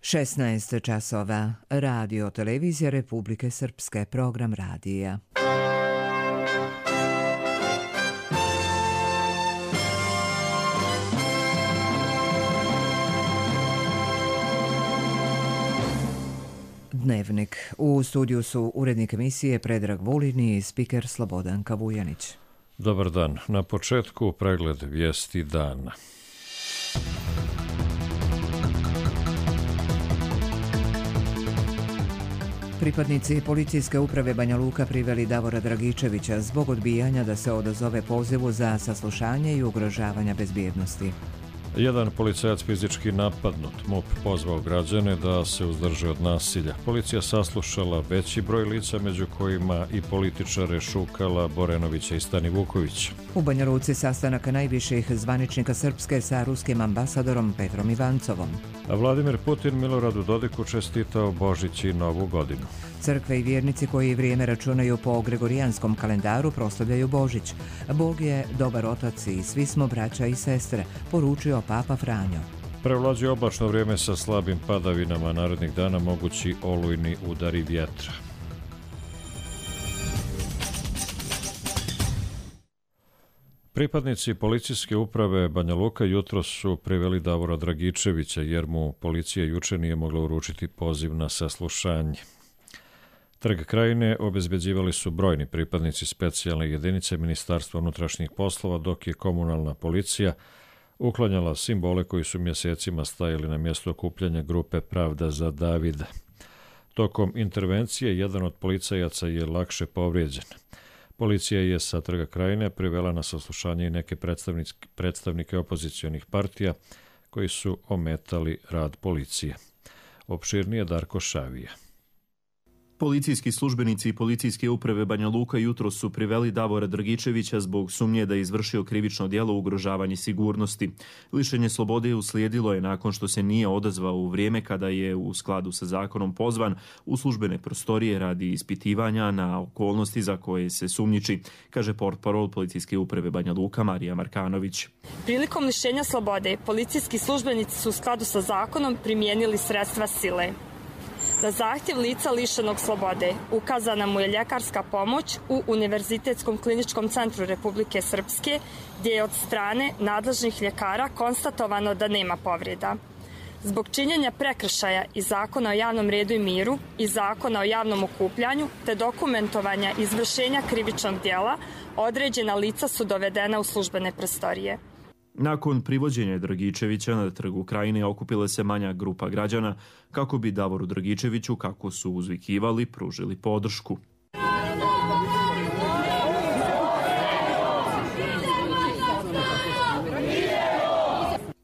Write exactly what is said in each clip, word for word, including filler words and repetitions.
šesnaest časova. Radio televizija Republike Srpske, program radija. Dnevnik. U studiju su urednik emisije Predrag Vulin i spiker Slobodan Kavujanić. Dobar dan. Na početku pregled vijesti dana. Pripadnici policijske uprave Banja Luka priveli Davora Dragičevića zbog odbijanja da se odazove pozivu za saslušanje i ugrožavanja bezbjednosti. Jedan policajac fizički napadnut. MUP pozvao građane da se uzdrže od nasilja. Policija saslušala veći broj lica, među kojima i političare Šukala, Borenovića i Stani Vukovića. U Banja Luci sastanak najviših zvaničnika Srpske sa ruskim ambasadorom Petrom Ivancovom. A Vladimir Putin Miloradu Dodiku čestitao Božić i Novu godinu. Crkve i vjernici koji vrijeme računaju po gregorijanskom kalendaru proslavljaju Božić. Bog je dobar otac i svi smo braća i sestre, poručio Papa Franjo. Prevlađuje oblačno vrijeme sa slabim padavinama, narednih dana mogući olujni udari vjetra. Pripadnici policijske uprave Banja Luka jutros su priveli Davora Dragičevića jer mu policija juče nije mogla uručiti poziv na saslušanje. Trg Krajine obezbeđivali su brojni pripadnici specijalne jedinice Ministarstva unutrašnjih poslova, dok je komunalna policija uklanjala simbole koji su mjesecima stajali na mjestu okupljanja grupe Pravda za Davida. Tokom intervencije jedan od policajaca je lakše povrijeđen. Policija je sa Trga Krajine privela na saslušanje i neke predstavnike opozicionih partija koji su ometali rad policije. Opširnije Darko Šavija. Policijski službenici i policijske uprave Banja Luka jutros su priveli Davora Dragičevića zbog sumnje da je izvršio krivično djelo ugrožavanja sigurnosti. Lišenje slobode uslijedilo je nakon što se nije odazvao u vrijeme kada je u skladu sa zakonom pozvan u službene prostorije radi ispitivanja na okolnosti za koje se sumnjiči, kaže portparol policijske uprave Banja Luka Marija Markanović. Prilikom lišenja slobode, policijski službenici su u skladu sa zakonom primijenili sredstva sile. Na zahtjev lica lišenog slobode ukazana mu je ljekarska pomoć u Univerzitetskom kliničkom centru Republike Srpske, gdje je od strane nadležnih ljekara konstatovano da nema povreda. Zbog činjenja prekršaja iz Zakona o javnom redu i miru i Zakona o javnom okupljanju te dokumentovanja izvršenja krivičnog djela, određena lica su dovedena u službene prostorije. Nakon privođenja Dragičevića na Trgu Krajine okupila se manja grupa građana kako bi Davoru Dragičeviću, kako su uzvikivali, pružili podršku.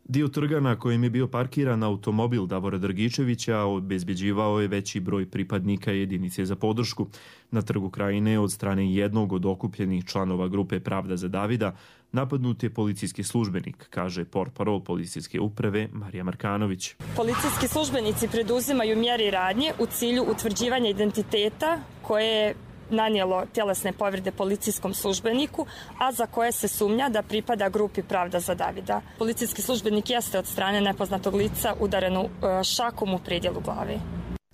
Dio trga na kojem je bio parkiran automobil Davora Dragičevića obezbeđivao je veći broj pripadnika jedinice za podršku. Na Trgu Krajine od strane jednog od okupljenih članova grupe Pravda za Davida napadnut je policijski službenik, kaže portparol policijske uprave Marija Markanović. Policijski službenici preduzimaju mjere i radnje u cilju utvrđivanja identiteta koje je nanijelo tjelesne povrede policijskom službeniku, a za koje se sumnja da pripada grupi Pravda za Davida. Policijski službenik jeste od strane nepoznatog lica udarenu šakom u predjelu glave.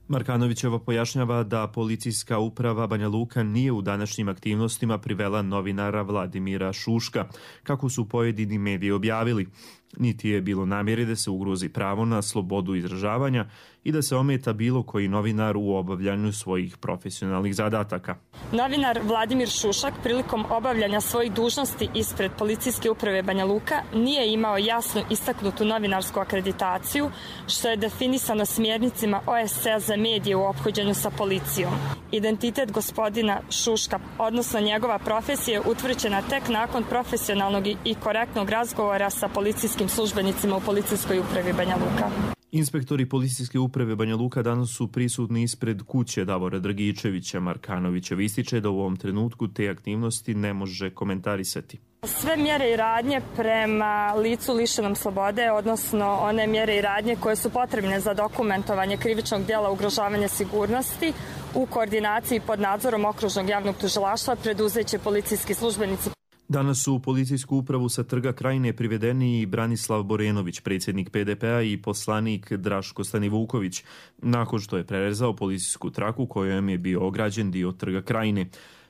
Markanovićeva pojašnjava da policijska uprava Banja Luka nije u današnjim aktivnostima privela novinara Vladimira Šuška, kako su pojedini mediji objavili. Niti je bilo namjere da se ugrozi pravo na slobodu izražavanja i da se ometa bilo koji novinar u obavljanju svojih profesionalnih zadataka. Novinar Vladimir Šušak prilikom obavljanja svojih dužnosti ispred policijske uprave Banja Luka nije imao jasno istaknutu novinarsku akreditaciju, što je definisano smjernicima O S C-a za medije u ophođenju sa policijom. Identitet gospodina Šuška, odnosno njegova profesija, je utvrđena tek nakon profesionalnog i korektnog razgovora sa policijskim službenicima u policijskoj upravi Banja Luka. Inspektori policijske uprave Banja Luka danas su prisutni ispred kuće Davora Dragičevića. Markanovićev ističe da u ovom trenutku te aktivnosti ne može komentarisati. Sve mjere i radnje prema licu lišenom slobode, odnosno one mjere i radnje koje su potrebne za dokumentovanje krivičnog djela ugrožavanja sigurnosti, u koordinaciji pod nadzorom okružnog javnog tužilaštva preduzeće policijski službenici. Danas su u policijsku upravu sa Trga Krajine privedeni i Branislav Borenović, predsjednik P D P-a, i poslanik Draško Stanivuković, nakon što je prerezao policijsku traku kojom je bio ograđen dio Trga Krajine.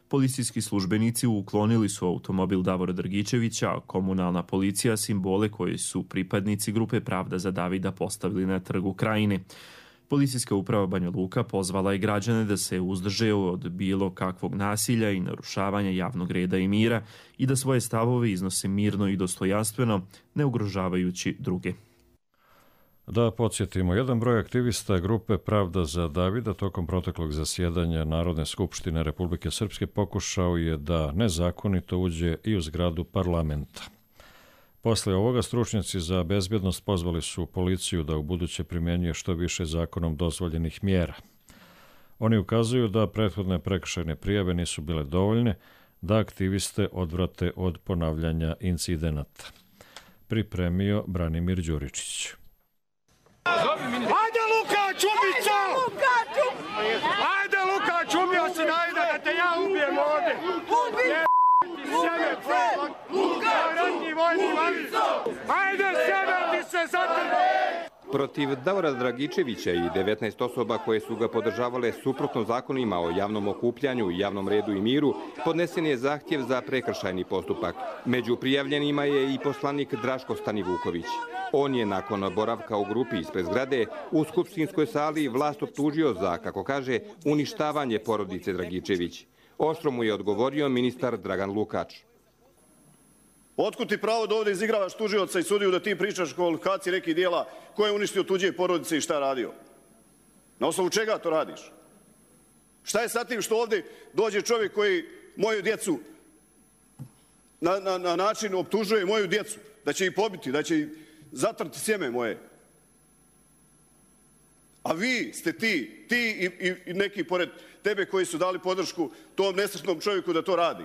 Policijski službenici uklonili su automobil Davora Dragičevića, a komunalna policija simbole koje su pripadnici grupe Pravda za Davida postavili na Trgu Krajine. Policijska uprava Banja Luka pozvala je građane da se uzdrže od bilo kakvog nasilja i narušavanja javnog reda i mira i da svoje stavove iznose mirno i dostojanstveno, ne ugrožavajući druge. Da podsjetimo, jedan broj aktivista grupe Pravda za Davida tokom proteklog zasjedanja Narodne skupštine Republike Srpske pokušao je da nezakonito uđe i u zgradu parlamenta. Posle ovoga stručnjaci za bezbjednost pozvali su policiju da ubuduće primjenjuje što više zakonom dozvoljenih mjera. Oni ukazuju da prethodne prekršajne prijave nisu bile dovoljne da aktiviste odvrate od ponavljanja incidenata. Pripremio Branimir Đuričić. Ajde Luka, čubica! Ajde Luka, čubio si najde da te ja ubijem ovdje! Ubi! Sjeme, Luka, ratni vojni valica! Ajde, sjeme ti se zatrba! Protiv Davora Dragičevića i devetnaest osoba koje su ga podržavale suprotno zakonima o javnom okupljanju, javnom redu i miru, podnesen je zahtjev za prekršajni postupak. Među prijavljenima je i poslanik Draško Stanivuković. On je nakon boravka u grupi ispred zgrade u skupštinskoj sali vlast optužio za, kako kaže, uništavanje porodice Dragičević. Oštro mu je odgovorio ministar Dragan Lukač. Otkud ti pravo da ovdje izigravaš tužioca i sudiju da ti pričaš o kvalifikaciji nekih dijela ko je uništio tuđe porodice i šta je radio? Na osnovu čega to radiš? Šta je sa tim što ovdje dođe čovjek koji moju djecu na, na, na način optužuje moju djecu, da će ih pobiti, da će ih zatrti sjeme moje? A vi ste ti, ti i, i, i neki pored tebe koji su dali podršku tom nesretnom čovjeku da to radi.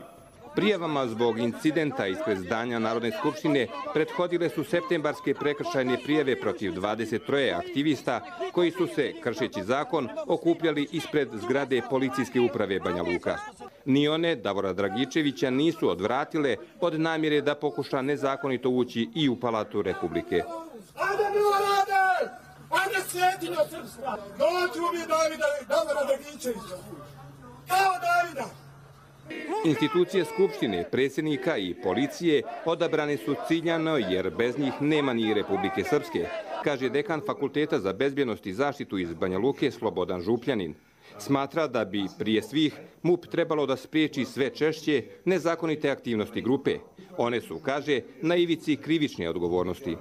Prijavama zbog incidenta ispred zdanja Narodne skupštine prethodile su septembarske prekršajne prijave protiv dvadeset tri aktivista koji su se, kršeći zakon, okupljali ispred zgrade policijske uprave Banja Luka. Ni one Davora Dragičevića nisu odvratile od namjere da pokuša nezakonito ući i u Palatu Republike. Ajde Milorade! Ajde Svetinja Srpska! Dođu mi Davida, Davora Dragičevića! Kao Davida! Institucije Skupštine, predsjednika i policije odabrane su ciljano jer bez njih nema ni Republike Srpske, kaže dekan Fakulteta za bezbjednost i zaštitu iz Banja Luke Slobodan Župljanin. Smatra da bi prije svih M U P trebalo da spriječi sve češće nezakonite aktivnosti grupe. One su, kaže, na ivici krivične odgovornosti.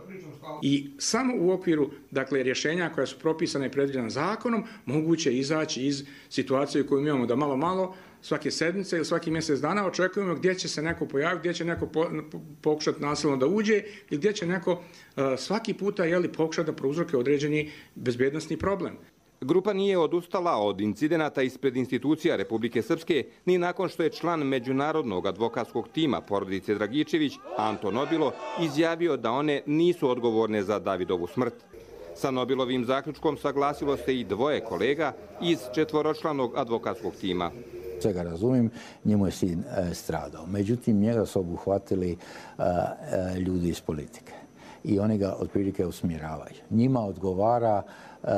I samo u okviru, dakle, rješenja koja su propisane i predviđena zakonom, moguće izaći iz situacije koju imamo da malo malo svake sedmice ili svaki mjesec dana očekujemo gdje će se neko pojaviti, gdje će neko po, pokušati nasilno da uđe i gdje će neko uh, svaki puta jeli, pokušati da prouzroke određeni bezbjednosni problem. Grupa nije odustala od incidenata ispred institucija Republike Srpske ni nakon što je član međunarodnog advokatskog tima porodice Dragičević, Anto Nobilo, izjavio da one nisu odgovorne za Davidovu smrt. Sa Nobilovim zaključkom saglasilo se i dvoje kolega iz četvoročlanog advokatskog tima. Sve ga razumijem, njemu je sin e, stradao. Međutim, njega su obuhvatili e, e, ljudi iz politike i oni ga otprilike usmjeravaju. Njima odgovara e,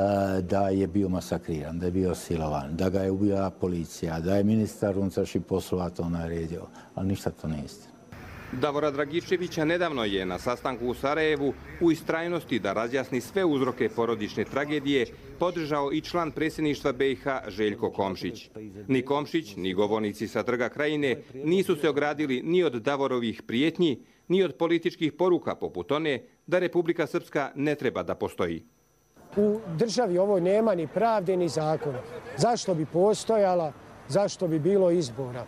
da je bio masakriran, da je bio silovan, da ga je ubila policija, da je ministar unutrašnjih poslova to naredio, ali ništa to ne istina. Davora Dragičevića nedavno je na sastanku u Sarajevu u istrajnosti da razjasni sve uzroke porodične tragedije podržao i član predsjedništva B i H Željko Komšić. Ni Komšić, ni govornici sa Trga Krajine nisu se ogradili ni od Davorovih prijetnji, ni od političkih poruka poput one da Republika Srpska ne treba da postoji. U državi ovoj nema ni pravde ni zakona. Zašto bi postojala, zašto bi bilo izbora?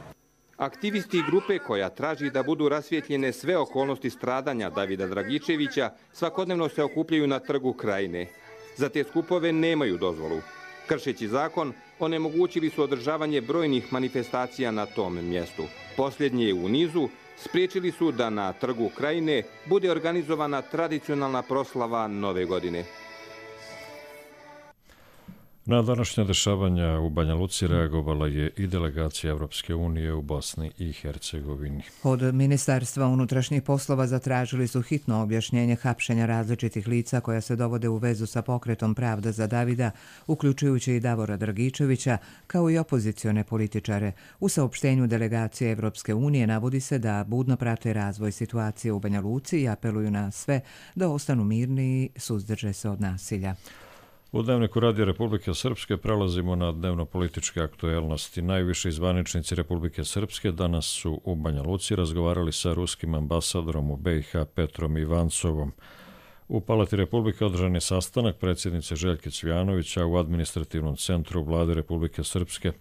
Aktivisti grupe koja traži da budu rasvjetljene sve okolnosti stradanja Davida Dragičevića svakodnevno se okupljaju na Trgu Krajine. Za te skupove nemaju dozvolu. Kršeći zakon, onemogućili su održavanje brojnih manifestacija na tom mjestu. Posljednje u nizu spriječili su da na Trgu Krajine bude organizovana tradicionalna proslava Nove godine. Na današnja dešavanja u Banja Luci reagovala je i delegacija Evropske unije u Bosni i Hercegovini. Od Ministarstva unutrašnjih poslova zatražili su hitno objašnjenje hapšenja različitih lica koja se dovode u vezu sa pokretom Pravda za Davida, uključujući i Davora Dragičevića, kao i opozicione političare. U saopštenju delegacije Evropske unije navodi se da budno prate razvoj situacije u Banja Luci i apeluju na sve da ostanu mirni i suzdrže se od nasilja. U Dnevniku Radija Republike Srpske prelazimo na dnevno-političke aktuelnosti. Najviši zvaničnici Republike Srpske danas su u Banja Luci razgovarali sa ruskim ambasadorom u B i H Petrom Ivancovom. U Palati Republike održan je sastanak predsjednice Željke Cvijanovića u administrativnom centru Vlade Republike Srpske.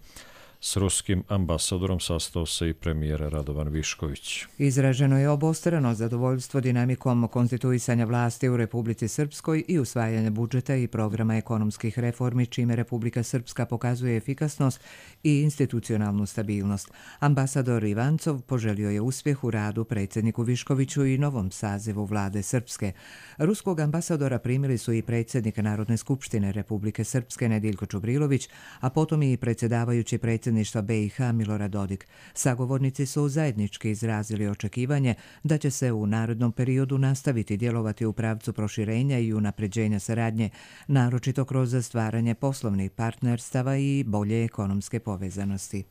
S ruskim ambasadorom sastao se i premijer Radovan Višković. Izraženo je obostrano zadovoljstvo dinamikom konstituisanja vlasti u Republici Srpskoj i usvajanje budžeta i programa ekonomskih reformi, čime Republika Srpska pokazuje efikasnost i institucionalnu stabilnost. Ambasador Ivancov poželio je uspjeh u radu predsjedniku Viškoviću i novom sazivu vlade Srpske. Ruskog ambasadora primili su i predsjednik Narodne skupštine Republike Srpske Nediljko Čubrilović, a potom i predsjedavajući predsjedništva B i H Milorad Dodik. Sagovornici su zajednički izrazili očekivanje da će se u narednom periodu nastaviti djelovati u pravcu proširenja i unapređenja saradnje, naročito kroz stvaranje poslovnih partnerstava i bolje ekonomske povezanosti.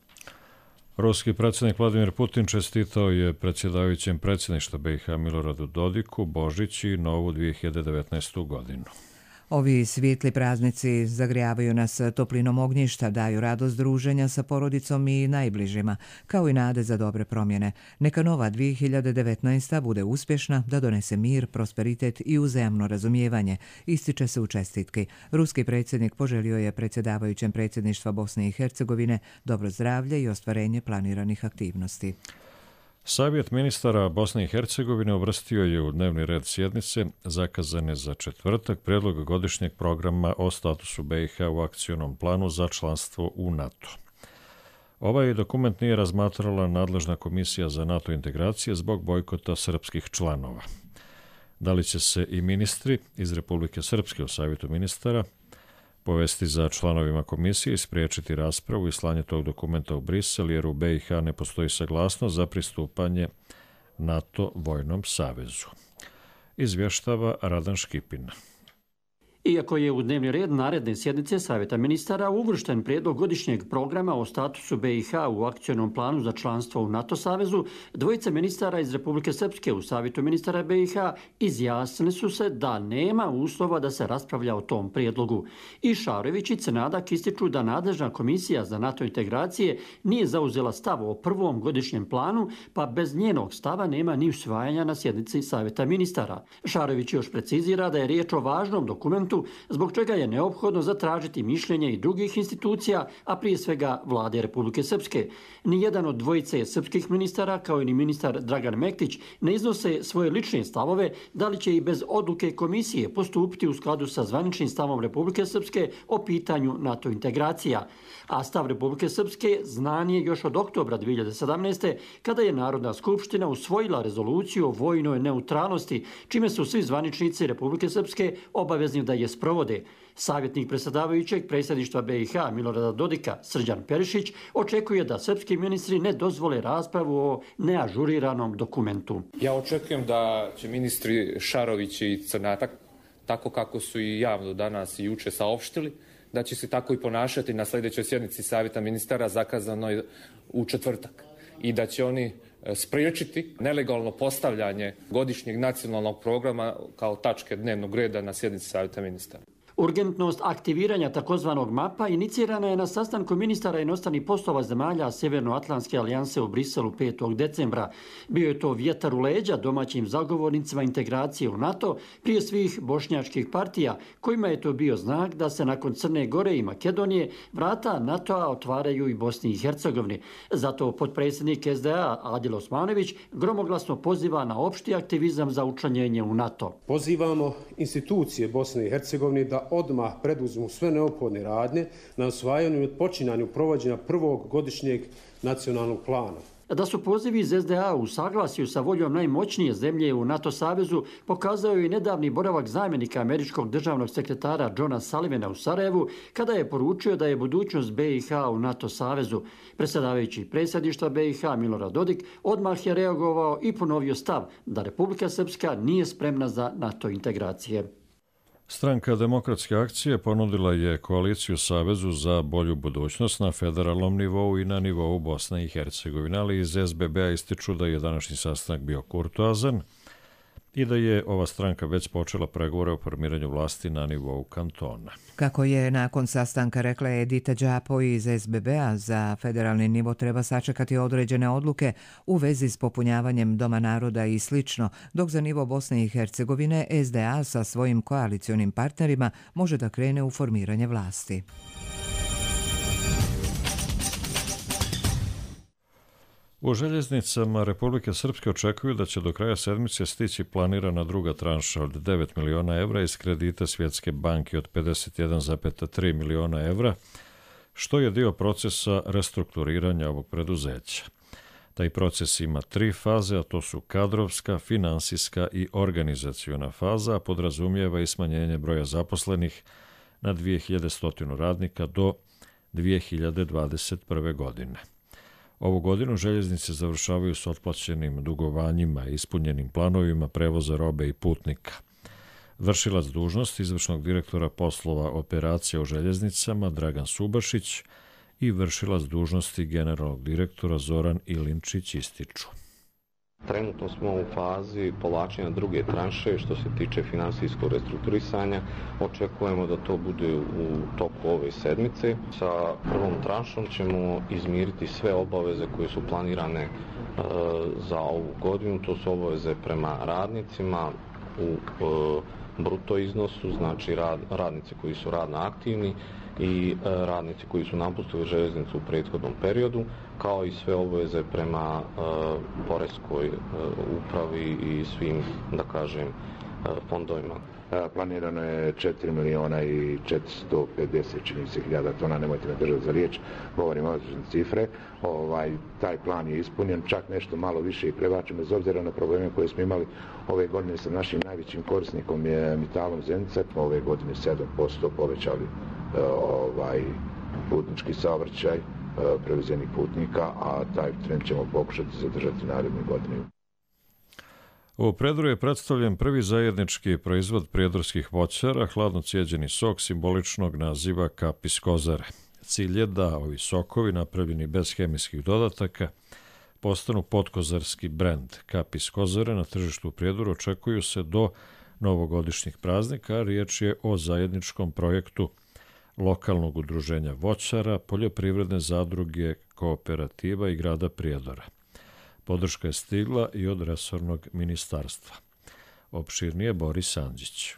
Ruski predsjednik Vladimir Putin čestitao je predsjedavajućem predsjedništva B i H Miloradu Dodiku Božić i novu dvije hiljade devetnaestu godinu. Ovi svijetli praznici zagrijavaju nas toplinom ognjišta, daju radost druženja sa porodicom i najbližima, kao i nade za dobre promjene. Neka nova dvije hiljade devetnaesta bude uspješna, da donese mir, prosperitet i uzajamno razumijevanje, ističe se u čestitki. Ruski predsjednik poželio je predsjedavajućem predsjedništva Bosne i Hercegovine dobro zdravlje i ostvarenje planiranih aktivnosti. Savjet ministara Bosne i Hercegovine uvrstio je u dnevni red sjednice zakazane za četvrtak prijedlog godišnjeg programa o statusu B i H u akcionom planu za članstvo u NATO. Ovaj dokument nije razmatrala nadležna komisija za NATO integracije zbog bojkota srpskih članova. Da li će se i ministri iz Republike Srpske u Savjetu ministara povesti za članovima komisije i spriječiti raspravu i slanje tog dokumenta u Brisel, jer u B i H ne postoji saglasnost za pristupanje NATO vojnom savezu. Izvještava Radan Škipin. Iako je u dnevni red naredne sjednice Savjeta ministara uvršten prijedlog godišnjeg programa o statusu B i H u akcionom planu za članstvo u NATO savezu, dvojica ministara iz Republike Srpske u Savjetu ministara B i H izjasnili su se da nema uslova da se raspravlja o tom prijedlogu. I Šarović i Cenadak ističu da nadležna komisija za NATO integracije nije zauzela stav o prvom godišnjem planu, pa bez njenog stava nema ni usvajanja na sjednici Savjeta ministara. Šarović još precizira da je riječ o važnom dokumentu zbog čega je neophodno zatražiti mišljenje i drugih institucija, a prije svega vlade Republike Srpske. Nijedan od dvojice srpskih ministara, kao i ni ministar Dragan Mektić, ne iznose svoje lične stavove da li će i bez odluke komisije postupiti u skladu sa zvaničnim stavom Republike Srpske o pitanju NATO integracija. A stav Republike Srpske znan je još od oktobra dvije hiljade sedamnaeste. kada je Narodna skupština usvojila rezoluciju o vojnoj neutralnosti, čime su svi zvaničnici Republike Srpske obavezni da je sprovode. Savjetnik predsjedavajućeg predsjedništva B i H Milorada Dodika, Srđan Perišić, očekuje da srpski ministri ne dozvole raspravu o neažuriranom dokumentu. Ja očekujem da će ministri Šarović i Crnatak, tako kako su i javno danas i juče saopštili, da će se tako i ponašati na sljedećoj sjednici Savjeta ministara zakazanoj u četvrtak i da će oni spriječiti nelegalno postavljanje godišnjeg nacionalnog programa kao tačke dnevnog reda na sjednici Savjeta ministara. Urgentnost aktiviranja takozvanog mapa inicirana je na sastanku ministara inostranih poslova zemalja Sjevernoatlantske alijanse u Briselu petog decembra. Bio je to vjetar u leđa domaćim zagovornicima integracije u NATO, prije svih bošnjačkih partija, kojima je to bio znak da se nakon Crne Gore i Makedonije vrata NATO-a otvaraju i Bosni i Hercegovini. Zato potpredsjednik S D A Adil Osmanović gromoglasno poziva na opšti aktivizam za učlanjenje u NATO. Pozivamo institucije Bosne i Hercegovine da odmah preduzmu sve neophodne radnje na osvajanju i odpočinanju provođenja prvog godišnjeg nacionalnog plana. Da su pozivi iz es de a u saglasju sa voljom najmoćnije zemlje u NATO savezu pokazao je i nedavni boravak zamjenika američkog državnog sekretara Johna Sullivana u Sarajevu, kada je poručio da je budućnost be i ha u NATO savezu. Predsjedavajući predsjedništva be i ha Milorad Dodik odmah je reagovao i ponovio stav da Republika Srpska nije spremna za NATO integracije. Stranka Demokratske akcije ponudila je koaliciju Savezu za bolju budućnost na federalnom nivou i na nivou Bosne i Hercegovine, ali iz es be be-a ističu da je današnji sastanak bio kurtoazan i da je ova stranka već počela pregovore o formiranju vlasti na nivou kantona. Kako je nakon sastanka rekla Edita Đapo iz es be be-a, za federalni nivo treba sačekati određene odluke u vezi s popunjavanjem Doma naroda i slično, dok za nivo Bosne i Hercegovine es de a sa svojim koalicionim partnerima može da krene u formiranje vlasti. U željeznicama Republike Srpske očekuju da će do kraja sedmice stići planirana druga tranša od devet miliona evra iz kredita Svjetske banke od pedeset jedan zarez tri miliona evra, što je dio procesa restrukturiranja ovog preduzeća. Taj proces ima tri faze, a to su kadrovska, finansijska i organizaciona faza, a podrazumijeva i smanjenje broja zaposlenih na dvije hiljade sto radnika do dvije hiljade dvadeset prve. godine. Ovu godinu željeznice završavaju s otplaćenim dugovanjima i ispunjenim planovima prevoza robe i putnika. Vršilac dužnosti izvršnog direktora poslova operacija u željeznicama Dragan Subašić i vršilac dužnosti generalnog direktora Zoran Ilinčić ističu. Trenutno smo u fazi povlačenja druge tranše što se tiče finansijskog restrukturisanja. Očekujemo da to bude u toku ove sedmice. Sa prvom tranšom ćemo izmiriti sve obaveze koje su planirane e, za ovu godinu. To su obaveze prema radnicima u e, bruto iznosu, znači rad, radnici koji su radno aktivni i e, radnici koji su napustili željeznicu u prethodnom periodu, kao i sve obaveze prema e, poreskoj e, upravi i svim, da kažem, e, fondovima. Planirano je četiri miliona i četiristo pedeset čini se hiljada tona, nemojte me držati za riječ, govorimo o cifre. Ovaj, taj plan je ispunjen, čak nešto malo više i prebačen, bez obzira na probleme koje smo imali ove godine sa našim najvećim korisnikom je Metalom Zenica. Ove godine sedam posto povećali ovaj, putnički saobraćaj prevezenih putnika, a taj trend ćemo pokušati zadržati naredne godine. U Predru je predstavljen prvi zajednički proizvod prijedorskih voćara, hladno cijeđeni sok simboličnog naziva Kapis Kozare. Cilj je da ovi sokovi, napravljeni bez hemijskih dodataka, postanu podkozarski brend. Kapis Kozare na tržištu u Prijedoru očekuju se do novogodišnjih praznika, a riječ je o zajedničkom projektu lokalnog udruženja voćara, poljoprivredne zadruge, kooperativa i grada Prijedora. Podrška je stigla i od resornog ministarstva. Opširnije Boris Andžić.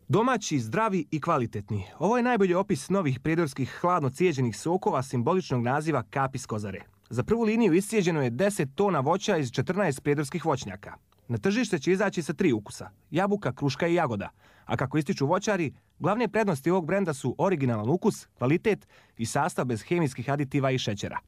Domaći, zdravi i kvalitetni. Ovo je najbolji opis novih prijedorskih hladno cijeđenih sokova simboličnog naziva Kapis Kozare. Za prvu liniju iscijeđeno je deset tona voća iz četrnaest prijedorskih voćnjaka. Na tržište će izaći sa tri ukusa, jabuka, kruška i jagoda. A kako ističu voćari, glavne prednosti ovog brenda su originalan ukus, kvalitet i sastav bez hemijskih aditiva i šećera.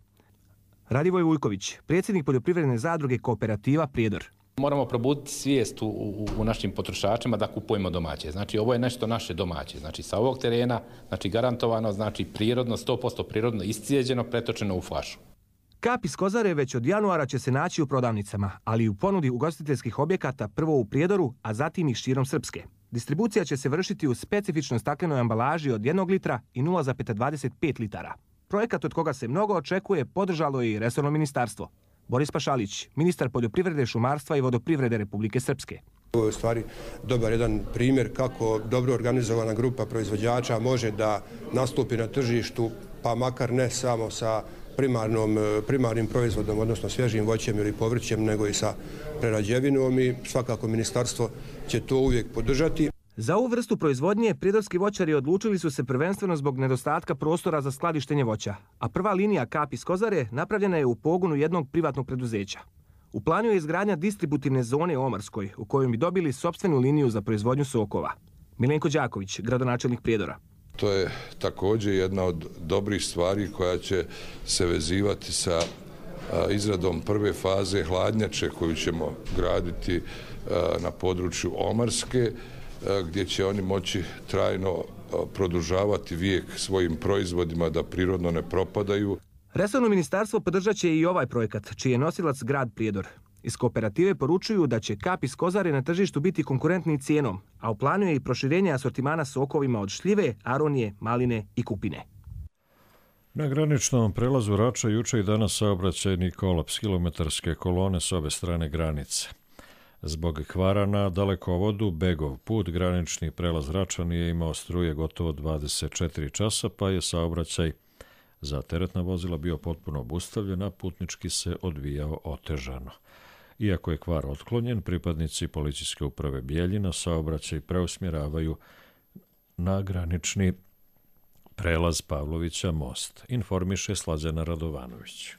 Radivoj Vujković, predsjednik poljoprivredne zadruge kooperativa Prijedor. Moramo probuditi svijest u, u, u našim potrošačima da kupujemo domaće. Znači ovo je nešto naše domaće. Znači sa ovog terena, znači garantovano, znači prirodno, sto posto prirodno iscijeđeno, pretočeno u flašu. Kapis Kozare već od januara će se naći u prodavnicama, ali i u ponudi ugostiteljskih objekata prvo u Prijedoru, a zatim i širom Srpske. Distribucija će se vršiti u specifičnoj staklenoj ambalaži od jednog litra i nula zarez dvadeset pet litara. Projekat od koga se mnogo očekuje podržalo je i resorno ministarstvo. Boris Pašalić, ministar poljoprivrede, šumarstva i vodoprivrede Republike Srpske. Ovo je u stvari dobar jedan primjer kako dobro organizovana grupa proizvođača može da nastupi na tržištu, pa makar ne samo sa primarnom, primarnim proizvodom, odnosno svježim voćem ili povrćem, nego i sa prerađevinom i svakako ministarstvo će to uvijek podržati. Za ovu vrstu proizvodnje prijedorski voćari odlučili su se prvenstveno zbog nedostatka prostora za skladištenje voća, a prva linija Kapis Kozare napravljena je u pogonu jednog privatnog preduzeća. U planu je izgradnja distributivne zone u Omarskoj, u kojoj bi dobili sopstvenu liniju za proizvodnju sokova. Milenko Đaković, gradonačelnik Prijedora. To je također jedna od dobrih stvari koja će se vezivati sa izradom prve faze hladnjače koju ćemo graditi na području Omarske, gdje će oni moći trajno produžavati vijek svojim proizvodima da prirodno ne propadaju. Resorno ministarstvo podržat će i ovaj projekat, čiji je nosilac grad Prijedor. Iz kooperative poručuju da će kap iz Kozare na tržištu biti konkurentni cijenom, a u planu je i proširenje asortimana sokovima od šljive, aronije, maline i kupine. Na graničnom prelazu Rača juče i danas saobraćajni kolaps kilometarske kolone s obe strane granice. Zbog kvara na dalekovodu Begov put granični prelaz Rača nije imao struje gotovo dvadeset četiri časa, pa je saobraćaj za teretna vozila bio potpuno obustavljen, a putnički se odvijao otežano. Iako je kvar otklonjen, pripadnici policijske uprave Bijeljina saobraćaj preusmjeravaju na granični prelaz Pavlovića most, informiše Slađana Radovanović.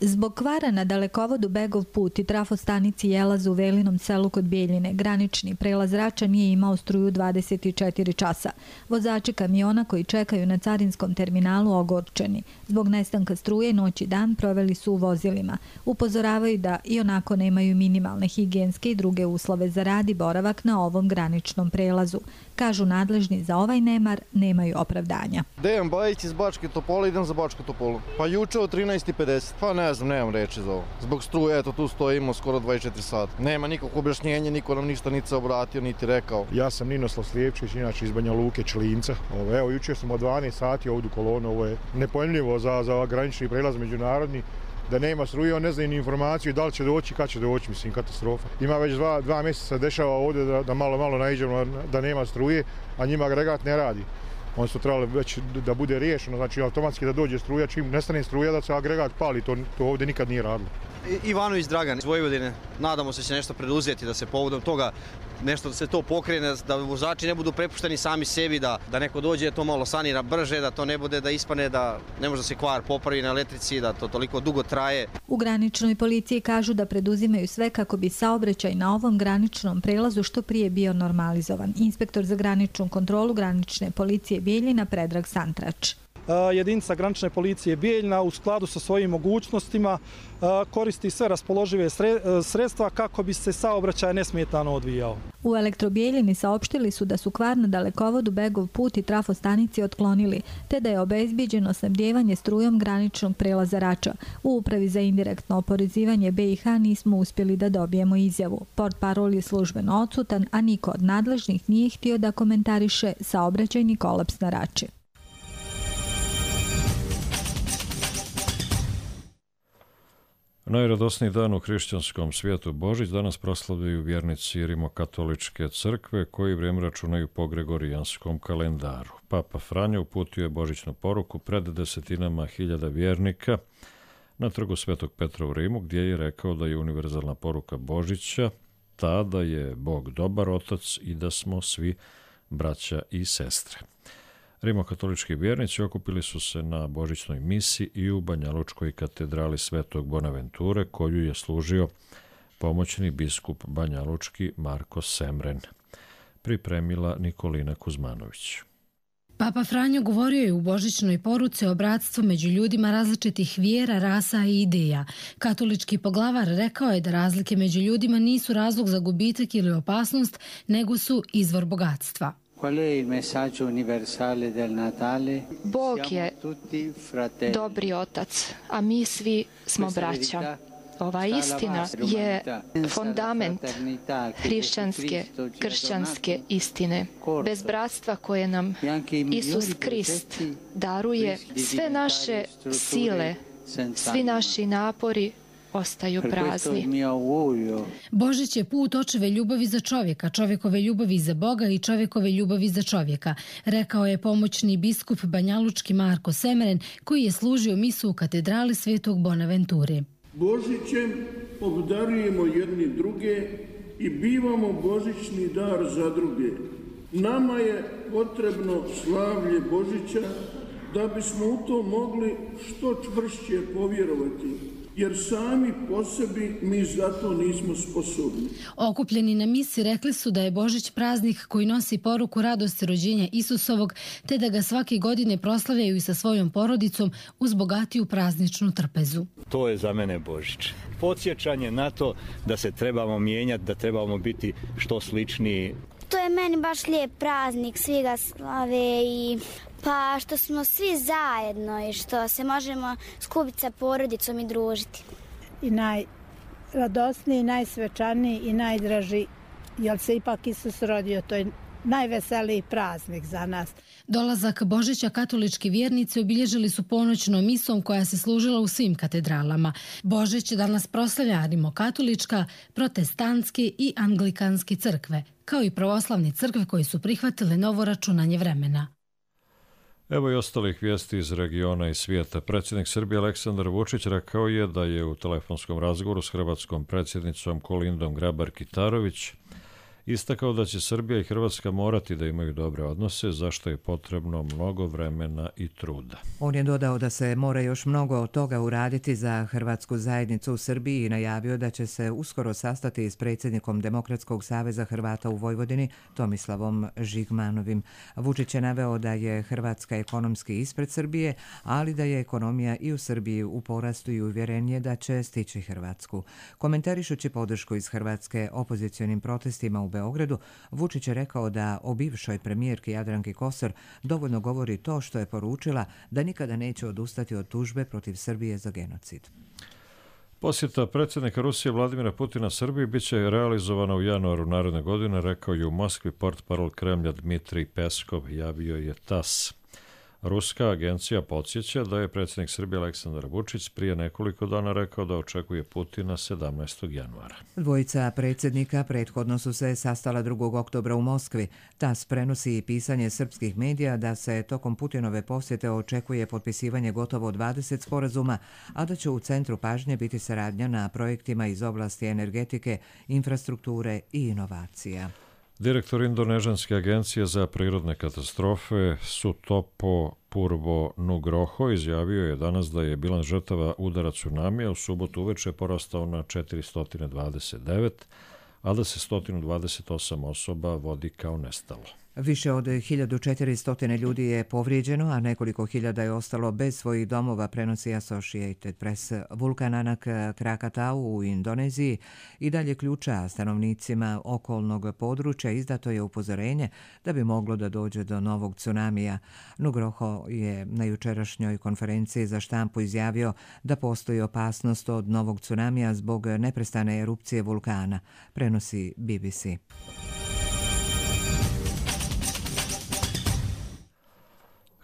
Zbog kvara na dalekovodu Begov put i trafostanici Jelaz u Velinom selu kod Bijeljine, granični prelaz Rača nije imao struju dvadeset četiri časa. Vozači kamiona koji čekaju na carinskom terminalu ogorčeni. Zbog nestanka struje noć i dan proveli su u vozilima. Upozoravaju da i onako nemaju minimalne higijenske i druge uslove za rad i boravak na ovom graničnom prelazu. Kažu nadležni za ovaj nemar nemaju opravdanja. Dejan Bajić iz Bačke Topole, idem za Bačku Topolu. Pa juče od trinaest i pedeset, pa ne znam, nemam reči za ovo. Zbog struje, eto, tu stojimo skoro dvadeset četiri sata. Nema nikog objašnjenja, niko nam ništa niti se obratio, niti rekao. Ja sam Ninoslav Slijepčić, inače iz Banja Luke, Člinca. Evo, juče smo od dvanaest sati ovdje u kolonu, ovo je nepojmljivo za, za granični prelaz međunarodni. Da nema struje, on ne zna ni informaciju da li će doći, kad će doći, mislim, katastrofa. Ima već dva, dva mjeseca dešava ovdje da, da malo, malo naiđemo da nema struje, a njima agregat ne radi. Oni su trebali već da bude riješeno, znači automatski da dođe struja, čim nestane struja da se agregat pali, to, to ovdje nikad nije radilo. Ivanović Dragan iz Vojvodine, nadamo se će nešto preduzeti da se povodom toga nešto da se to pokrene, da vozači ne budu prepušteni sami sebi, da, da neko dođe to malo sanira brže, da to ne bude da ispane da ne može da se kvar popravi na elektrici, da to toliko dugo traje. U graničnoj policiji kažu da preduzimaju sve kako bi saobraćaj na ovom graničnom prelazu što prije bio normalizovan. Inspektor za graničnu kontrolu granične policije Bijeljina Predrag Santrač. Jedinica granične policije Bijeljina u skladu sa svojim mogućnostima koristi sve raspoložive sredstva kako bi se saobraćaj nesmetano odvijao. U Elektrobijeljini saopštili su da su kvar na dalekovodu Begov put i trafostanici otklonili, te da je obezbijeđeno snabdijevanje strujom graničnog prelaza Rača. U Upravi za indirektno oporezivanje B i H nismo uspjeli da dobijemo izjavu. Portparol je službeno odsutan, a niko od nadležnih nije htio da komentariše saobraćajni kolaps na Rači. Najradosniji dan u hrišćanskom svijetu Božić danas proslavljaju vjernici Rimokatoličke crkve koji vrijeme računaju po gregorijanskom kalendaru. Papa Franjo uputio je božićnu poruku pred desetinama hiljada vjernika na trgu Svetog Petra u Rimu, gdje je rekao da je univerzalna poruka Božića ta da je Bog dobar otac i da smo svi braća i sestre. Rimokatolički vjernici okupili su se na božićnoj misi i u Banjalučkoj katedrali Svetog Bonaventure, koju je služio pomoćni biskup banjalučki Marko Semren. Pripremila Nikolina Kuzmanović. Papa Franjo govorio je u božićnoj poruci o bratstvu među ljudima različitih vjera, rasa i ideja. Katolički poglavar rekao je da razlike među ljudima nisu razlog za gubitak ili opasnost, nego su izvor bogatstva. Bog je dobri otac, a mi svi smo braća. Ova istina je fundament hrišćanske, kršćanske istine. Bez bratstva koje nam Isus Krist daruje, sve naše sile, svi naši napori ostaju prazni. Božić je put očeve ljubavi za čovjeka, čovjekove ljubavi za Boga i čovjekove ljubavi za čovjeka, rekao je pomoćni biskup banjalučki Marko Semren, koji je služio misu u katedrali Svetog Bonaventure. Božićem obdarujemo jedni druge i bivamo božićni dar za druge. Nama je potrebno slavlje Božića da bismo u to mogli što čvršće povjerovati. jer sami po sebi mi za to nismo sposobni. Okupljeni na misi rekli su da je Božić praznik koji nosi poruku radosti rođenja Isusovog, te da ga svake godine proslavljaju i sa svojom porodicom uz bogatiju prazničnu trpezu. To je za mene Božić. Podsjećanje na to da se trebamo mijenjati, da trebamo biti što sličniji. To je meni baš lijep praznik, svi ga slave i pa što smo svi zajedno i što se možemo skupiti sa porodicom i družiti. I najradosniji, najsvečaniji i najdraži, jer se ipak Isus rodio, to je najveseliji praznik za nas. Dolazak Božića katolički vjernici obilježili su ponoćnom misom koja se služila u svim katedralama. Božić danas proslavlja rimokatolička, protestantske i anglikanske crkve, kao i pravoslavne crkve koji su prihvatile novo računanje vremena. Evo i ostalih vijesti iz regiona i svijeta. Predsjednik Srbije Aleksandar Vučić rekao je da je u telefonskom razgovoru s hrvatskom predsjednicom Kolindom Grabar-Kitarović istakao da će Srbija i Hrvatska morati da imaju dobre odnose, za što je potrebno mnogo vremena i truda. On je dodao da se mora još mnogo od toga uraditi za hrvatsku zajednicu u Srbiji i najavio da će se uskoro sastati s predsjednikom Demokratskog saveza Hrvata u Vojvodini, Tomislavom Žigmanovim. Vučić je naveo da je Hrvatska ekonomski ispred Srbije, ali da je ekonomija i u Srbiji u porastu i uvjeren je da će stići Hrvatsku. Komentarišući podršku iz Hrvatske opozicionim protestima u Beogradu, Vučić je rekao da o bivšoj premijerki Jadranki Kosor dovoljno govori to što je poručila da nikada neće odustati od tužbe protiv Srbije za genocid. Posjeta predsjednika Rusije Vladimira Putina Srbiji biće realizovana u januaru naredne godine, rekao je u Moskvi portparol Kremlja Dmitrij Peskov, javio je tas. Ruska agencija podsjeća da je predsjednik Srbije Aleksandar Vučić prije nekoliko dana rekao da očekuje Putina sedamnaestog januara. Dvojica predsjednika prethodno su se sastala drugog oktobra u Moskvi. tas prenosi i pisanje srpskih medija da se tokom Putinove posjete očekuje potpisivanje gotovo dvadeset sporazuma, a da će u centru pažnje biti saradnja na projektima iz oblasti energetike, infrastrukture i inovacija. Direktor Indonežanske agencije za prirodne katastrofe Sutopo Purbo Nugroho izjavio je danas da je bilans žrtava udara tsunamija u subotu uveče porastao na četiristo dvadeset devet, a da se sto dvadeset osam osoba vodi kao nestalo. Više od hiljadu četiristo ljudi je povrijeđeno, a nekoliko hiljada je ostalo bez svojih domova, prenosi Associated Press. Vulkan Anak Krakatau u Indoneziji i dalje ključa stanovnicima okolnog područja. Izdato je upozorenje da bi moglo da dođe do novog tsunamija. Nugroho je na jučerašnjoj konferenciji za štampu izjavio da postoji opasnost od novog tsunamija zbog neprestane erupcije vulkana, prenosi B B C.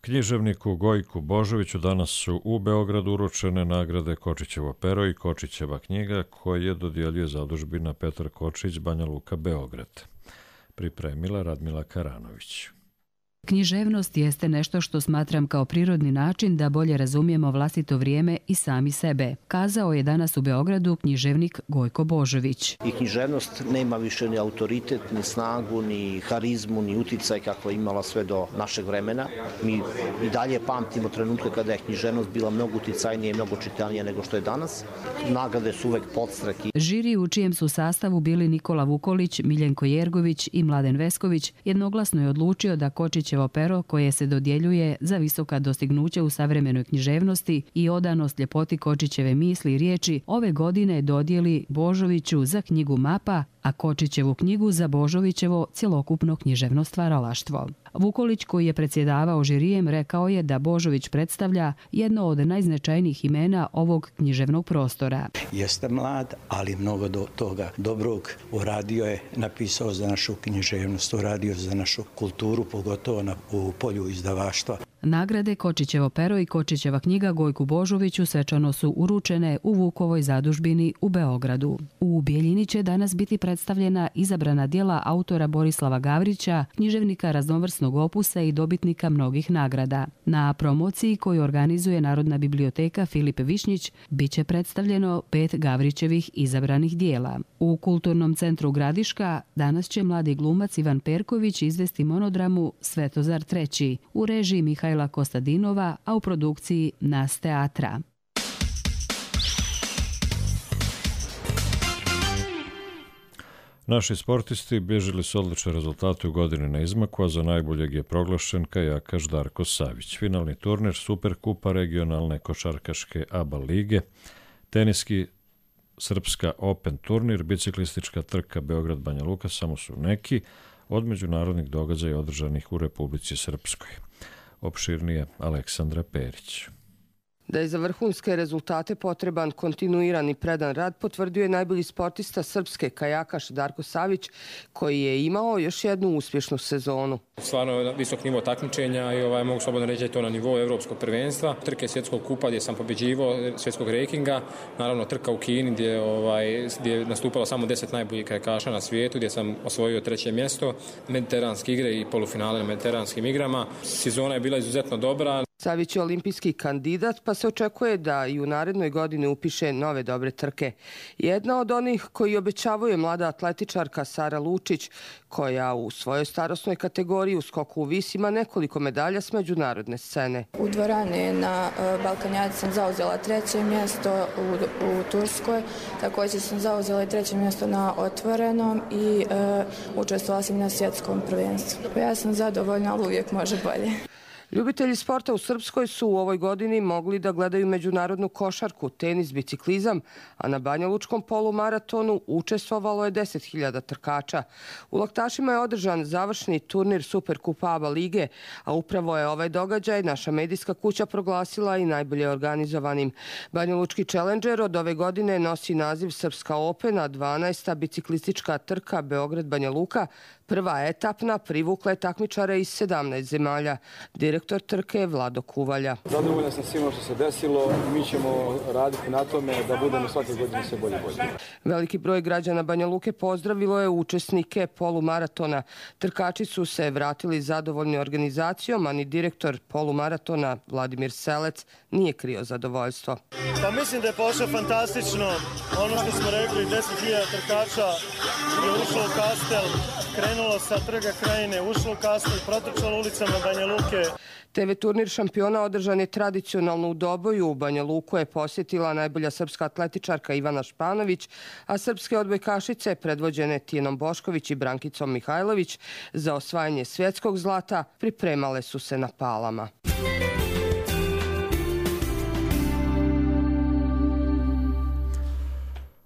Književniku Gojku Božoviću danas su u Beogradu uručene nagrade Kočićevo pero i Kočićeva knjiga koje dodjeljuje zadužbina Petar Kočić, Banja Luka, Beograd. Pripremila Radmila Karanović. Književnost jeste nešto što smatram kao prirodni način da bolje razumijemo vlastito vrijeme i sami sebe, kazao je danas u Beogradu književnik Gojko Božović. I književnost nema više ni autoritet, ni snagu, ni harizmu, ni uticaj kako je imala sve do našeg vremena. Mi i dalje pamtimo trenutke kada je književnost bila mnogo uticajnije i mnogo čitanije nego što je danas. Nagrade su uvek podstrek. Žiri u čijem su sastavu bili Nikola Vukolić, Miljenko Jergović i Mladen Vesković jednoglasno je odlučio da Kočićevo pero koje se dodjeljuje za visoka dostignuća u savremenoj književnosti i odanost ljepoti Kočićeve misli i riječi ove godine dodijeli Božoviću za knjigu Mapa, a Kočićevu knjigu za Božovićevo cjelokupno književno stvaralaštvo. Vukolić, koji je predsjedavao žirijem, rekao je da Božović predstavlja jedno od najznačajnijih imena ovog književnog prostora. Jeste mlad, ali mnogo do toga dobrog uradio je, napisao za našu književnost, uradio za našu kulturu, pogotovo na, u polju izdavaštva. Nagrade Kočićevo pero i Kočićeva knjiga Gojku Božoviću svečano su uručene u Vukovoj zadužbini u Beogradu. U Bijeljini će danas biti predstavljena izabrana djela autora Borislava Gavrića, književnika raznovrsnog opusa i dobitnika mnogih nagrada. Na promociji koju organizuje Narodna biblioteka Filip Višnjić biće predstavljeno pet Gavrićevih izabranih djela. U Kulturnom centru Gradiška danas će mladi glumac Ivan Perković izvesti monodramu Svetozar treći u režiji Mihajla Kostadinova, a u produkciji Nas teatra. Naši sportisti bježili su odlične rezultate u godini na izmaku, a za najboljeg je proglašen kajakaš Darko Savić. Finalni turnir Superkupa regionalne košarkaške A B A lige, teniski Srpska Open turnir, biciklistička trka Beograd Banja Luka samo su neki od međunarodnih događaja održanih u Republici Srpskoj. Opširnije Aleksandra Perić. Da je za vrhunske rezultate potreban kontinuiran i predan rad, potvrdio je najbolji sportista srpske kajakaš Darko Savić, koji je imao još jednu uspješnu sezonu. Stvarno visok nivo takmičenja i ovaj, mogu slobodno reći da je to na nivou evropskog prvenstva. Trke svjetskog kupa gdje sam pobjeđivao, svjetskog rankinga, naravno trka u Kini gdje, ovaj, gdje je nastupalo samo deset najboljih kajakaša na svijetu, gdje sam osvojio treće mjesto, mediteranske igre i polufinale na mediteranskim igrama. Sezona je bila izuzetno dobra. Savić je olimpijski kandidat, pa se očekuje da i u narednoj godini upiše nove dobre trke. Jedna od onih koji obećavaju je mlada atletičarka Sara Lučić, koja u svojoj starosnoj kategoriji u skoku u vis ima nekoliko medalja s međunarodne scene. U dvorani na Balkanjadi sam zauzela treće mjesto u, u Turskoj, također sam zauzela i treće mjesto na otvorenom i e, učestvovala sam na svjetskom prvenstvu. Ja sam zadovoljna, ali uvijek može bolje. Ljubitelji sporta u Srpskoj su u ovoj godini mogli da gledaju međunarodnu košarku, tenis, biciklizam, a na banjalučkom polumaratonu učestvovalo je deset hiljada trkača. U Laktašima je održan završni turnir Superkupa A B A lige, a upravo je ovaj događaj naša medijska kuća proglasila i najbolje organizovanim. Banjalučki Challenger od ove godine nosi naziv Srpska Open, a dvanaesta biciklistička trka Beograd Banja Luka, prva etapna, privukla je takmičare iz sedamnaest zemalja. Direktor trke je Vlado Kuvalja. Zadovoljan sam svima što se desilo. Mi ćemo raditi na tome da budemo svake godine sve bolje bolje. Veliki broj građana Banja Luke pozdravilo je učesnike polumaratona. Trkači su se vratili zadovoljni organizacijom, a ni direktor polumaratona Vladimir Selec nije krio zadovoljstvo. Pa mislim da je pošlo fantastično. Ono što smo rekli, deset hiljada trkača je ušlo u Kastel, krenulo sa Trga Krajine, ušlo u Kastel, protrčalo ulicama Banja Luke. T V turnir šampiona održan je tradicionalno u Doboju. U Banja Luku je posjetila najbolja srpska atletičarka Ivana Španović, a srpske odbojkašice predvođene Tijenom Bošković i Brankicom Mihajlović za osvajanje svjetskog zlata pripremale su se na Palama.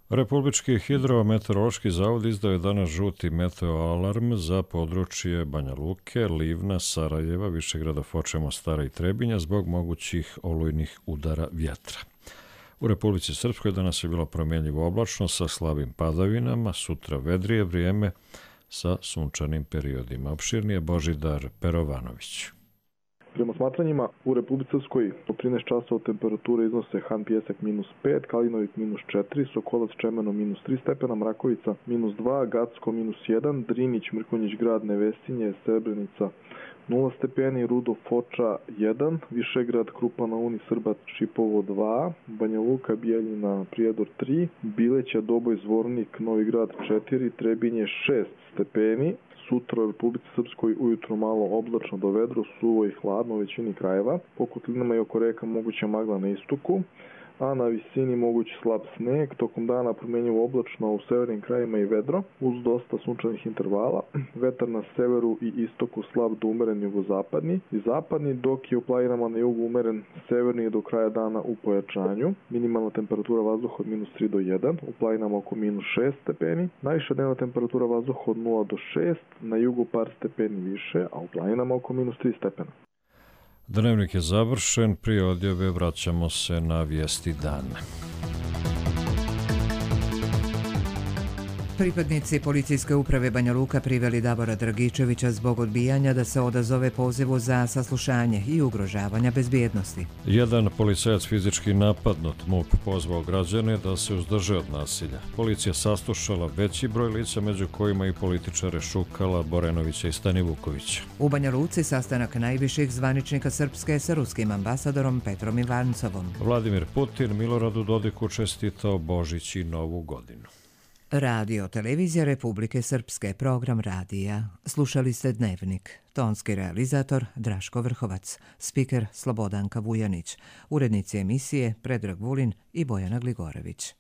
Republički hidrometeorološki zavod izdao je danas žuti meteoalarm za područje Banja Luke, Livna, Sarajeva, Višegrada, Foče, Mostara i Trebinja zbog mogućih olujnih udara vjetra. U Republici Srpskoj danas je bilo promjenjivo oblačno sa slabim padavinama, sutra vedrije vrijeme sa sunčanim periodima. Opširnije Božidar Perovanović. Prema smatranjima, u Republici Srpskoj po trinaest časova temperature iznose Han Pijesak minus pet, Kalinovik minus četiri, Sokolac Čemeno minus tri stepena, Mrakovica minus dva, Gacko minus jedan, Drinić, Mrkonjić grad, Nevesinje, Srebrenica nula stepeni, Rudo, Foča jedan, Višegrad, Krupa na Uni, Srbat, Šipovo dva, Banja Luka, Bijeljina, Prijedor tri, Bileća, Doboj, Zvornik, Novi Grad četiri, Trebinje šest stepeni. Sutra u Republici Srpskoj ujutro malo oblačno do vedro, suvo i hladno u većini krajeva. Po kotlinama i oko reka moguća magla na istoku, a na visini mogući slab sneg. Tokom dana promjenjivo oblačno u severnim krajima i vedro, uz dosta sunčanih intervala. Vetar na severu i istoku slab do umeren jugozapadni i zapadni, dok je u planinama na jugu umeren severni do kraja dana u pojačanju. Minimalna temperatura vazduha od minus tri do jedan, u planinama oko minus šest stepeni. Najviša dnevna temperatura vazduha od nula do šest, na jugu par stepeni više, a u planinama oko minus tri stepena. Dnevnik je završen, prije odjave vraćamo se na vijesti dana. Pripadnici policijske uprave Banja Luka priveli Davora Dragičevića zbog odbijanja da se odazove pozivu za saslušanje i ugrožavanja bezbjednosti. Jedan policajac fizički napadnut, M U P pozvao građane da se uzdrže od nasilja. Policija saslušala veći broj lica, među kojima i političare Šukala, Borenovića i Stanivukovića. U Banja Luci sastanak najviših zvaničnika Srpske sa ruskim ambasadorom Petrom Ivancovom. Vladimir Putin Miloradu Dodiku čestitao Božić i Novu godinu. Radio Televizija Republike Srpske, program radija. Slušali ste Dnevnik. Tonski realizator Draško Vrhovac, spiker Slobodanka Vujanić, urednici emisije Predrag Vulin i Bojana Gligorević.